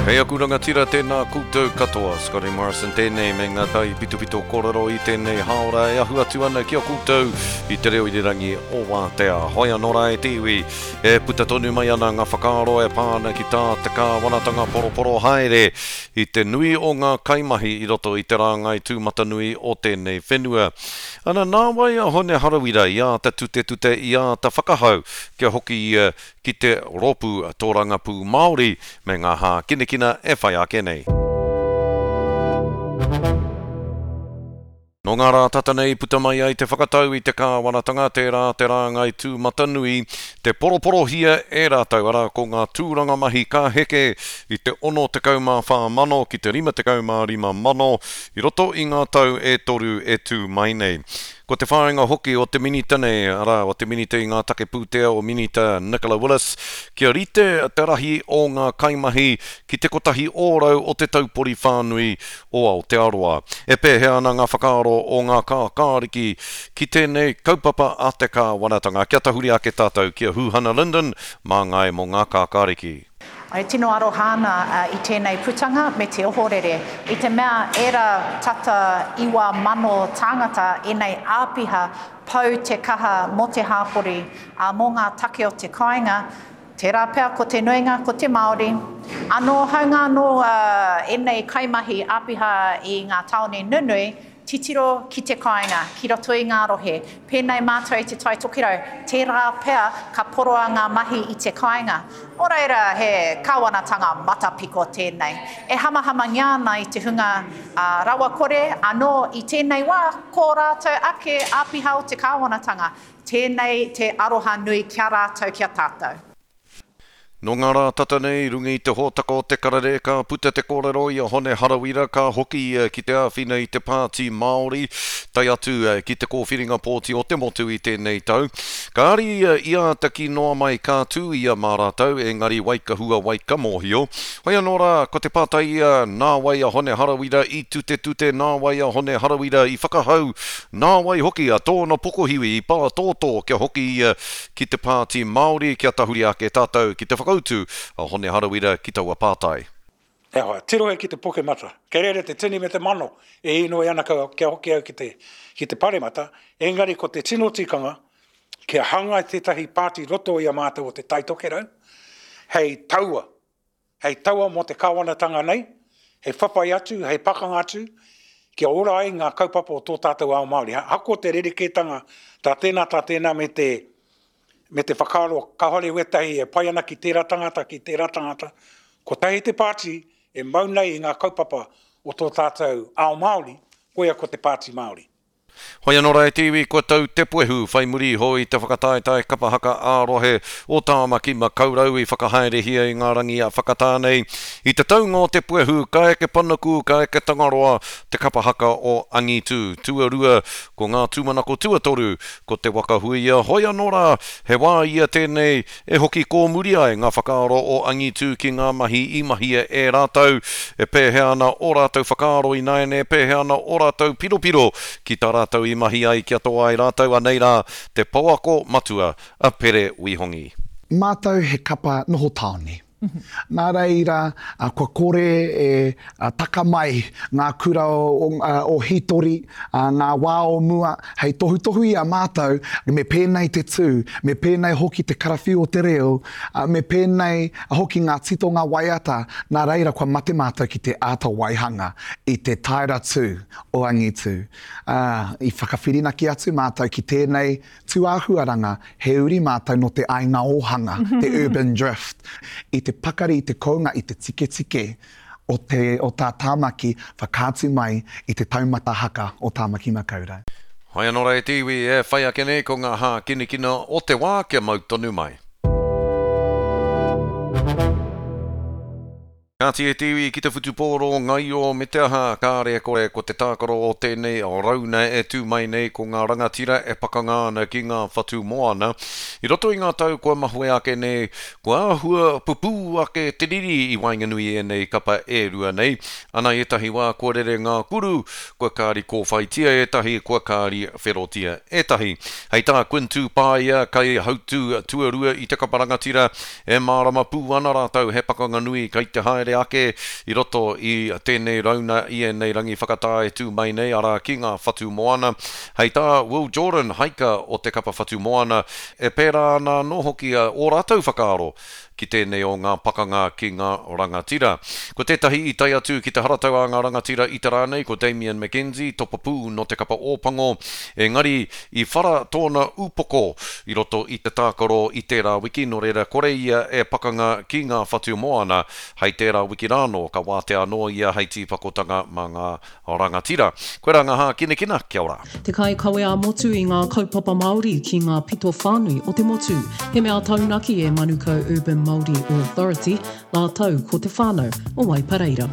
Hei aku rangatira tēnā koutou katoa, Scotty Morrison tēnei me ngā taipitopito kōrero i tēnei hāora e ahu atu ana ki a koutou i te reo irirangi o Wātea. Hoi anō rā e te iwi, e puta tonu mai ana ngā whakaaro e pā ana ki tā te kāwanatanga poroporo haere i te nui o ngā kaimahi i roto i te rāngai tūmatanui o tēnei whenua. Ana, nāwai a Hone Harawira i āta tutetute, i āta whakahau kia hoki ia ki te Rōpū Tōrangapū Māori me ngā hākinakina e whai ake nei. Nō ngā rā tata nei puta mai ai te whakatau i te kāwanatanga tērā te rāngai tūmatanui te poroporohia e rātou, arā ko ngā tūranga mahi ka heke i te 64 mano ki te 55 mano i roto i ngā tau e toru e tū mai nei. Ko te whāinga hoki o te Minita nei, arā, o te Minita i ngā take pūtea o Minita Nicola Willis, kia rite te rahi o ngā kaimahi ki te 1% o te taupori whānui o Aotearoa. E pēhea ana ngā whakaaro o ngā kākāriki ki tēnei kaupapa a te kāwanatanga? Kia tahuri ake tātou ki a Huhana Lyndon, māngai mō ngā kākāriki. E tino aroha ana i tēnei putanga me te ohorere, i te mea ērā tata 9,000 tāngata ēnei āpiha pau te kaha mō te hāpori, ā, mō ngā take o te kāinga, tērā pea ko te nuinga ko te Māori. Anō, hāunga anō ēnei kaimahi āpiha i ngā tāone nunui, Titiro ki te kāinga, ki roto i ngā rohe. Pēnei mātou i Te Tai Tokerau, tērā pea ka poroa ngā mahi i te kāinga. Nō reira, he kāwanatanga matapiko tēnei. E hamahamangia ana i te hunga rawakore, anō i tēnei wā, ko rātou ake āpiha o te kāwanatanga. Tēnei te aroha nui ki a rātou, ki a tātou. Nō ngā rā tata nei, i runga i te hōtaka o Te Karere, ka puta te kōrero i a Hone Harawira ka hoki ia ki te āwhina i te Pāti Māori, tae atu ki te kōwhiringa pōti o te motu i tēnei tau. Kāre ia i āta kī noa mai ka tū ia mā rātou, engari wai ka hua, wai ka mōhio. Hoi anō rā, ko te pātai ia, nā wai a Hone Harawira i tutetute, nā wai a Hone Harawira i whakahau, nā wai hoki a tōna pokohiwi i pātōtō kia hoki ia ki te Pāti Māori kia tahuri ake tātou ki te whakautu a Hone Harawira ki taua pātai. E hoa, tirohia ki te pokemata, kei reira te tini me te mano e inoi ana kia hoki au ki te, ki te paremata, engari ko te tino tikanga kia hangai tētahi pāti roto i a mātou o Te Tai Tokerau hei taua hei taua mō te kāwanatanga nei, hei whawhai atu, hei pakanga atu, kia ora ai ngā kaupapa o tō tātou ao Māori. Ahakoa te rerekētanga tā tēnā, tā tēnā me te, me te whakaaro kāore wētahi e pai ana ki tērā tangata, ki tērā tangata, kotahi te pāti e mau nei i ngā kaupapa o tō tātou ao Māori, koia ko te Pāti Māori. Hoi anō rā e te iwi, kua tau te puehu whai muri iho i te whakataetae kapa haka ā-rohe o Tāmaki Makaurau i whakahaerehia i ngā rangi a whakatā nei. I te taunga o te puehu, ka eke panuku, ka eke Tangaroa, te kapa haka o Angitū. Tuarua, ko ngā tūmanako tuatoru, ko Te Waka Huia. Hoi anō rā, he wā ia tēnei E hoki kōmuri ai ngā whakaaro o Angitū ki ngā mahi i mahia e rātou, e pēhea ana ō rātou whakaaro ināiane, e pēhea ana ō rātou piropiro ki tā rātou i mahi ai kia toa ai rātou, anei rā te pouako matua a Pere Wihongi. Mātou he kapa noho tāone. Nā reira, kua kore e taka mai ngā kura o hītori, ngā wā o mua, hei tohutohu i a mātou me pēnei te tū, me pēnei hoki te karawhiu o te reo, me pēnei hoki ngā titonga waiata, nā reira kua mate mātou ki te āta waihanga i te taera tū o angitu. Ā, i whakawhirinaki atu mātou ki tēnei Tūāhuaranga, he uri mātou nō te aiga ōhanga, te urban drift, i te pakari i te kounga i te tiketike o te o tā Tāmaki whakaatu mai i te taumata haka o Tāmaki Makaurau. Hoi anō rā e te iwi e whai ake nei ko ngā hākinakina o te wā kia mau tonu mai. Kāti e te iwi ki te whutupōro ngaio me te aha, kāre e kore ko te tākaro o tēnei rauna e tū mai nei ko ngā rangatira e pakanga ana ki ngā whatu moana. I roto i ngā tau kua mahue ake nei, kua āhua pupū ake te riri i waenganui i ēnei kapa e rua nei. Ana ētahi wā kua rere ngā kuru, kua kāri kōwhaitia ētahi, kua kāri wherotia ētahi. Hei tā Quinn Tūpāia, kaihautū tuarua i te kapa rangatira, E mārama pū ana rātou he pakanga nui kei te haere. haere ake i roto i tēnei rauna i ēnei rangi whakatā e tū mai nei, arā, ki ngā whatu moana. Hei tā Will Jordan, haika o te kapa whatu moana, e pērā ana anō hoki ō rātou whakaaro ki tēnei o ngā pakanga ki ngā rangatira. Ko tētahi i tae atu ki te haratau a ngā rangatira i te rā nei ko Damian McKenzie, topapū nō te kapa Ōpango, engari i whara tōna upoko i roto i te tākaro i tērā wiki, nō reira kore ia e pakanga ki ngā whatu moana hei tērā wiki rānō, ka wātea anō ia hei tīpakotanga mā ngā Rangatira. Koirā ngā hākinakina, kia ora. Te kaikawe ā-motu i ngā kaupapa Māori ki ngā pito whānui o te motu. He mea taunaki e Manukau Urban Māori Authority rātou ko te whānau o Waipareira.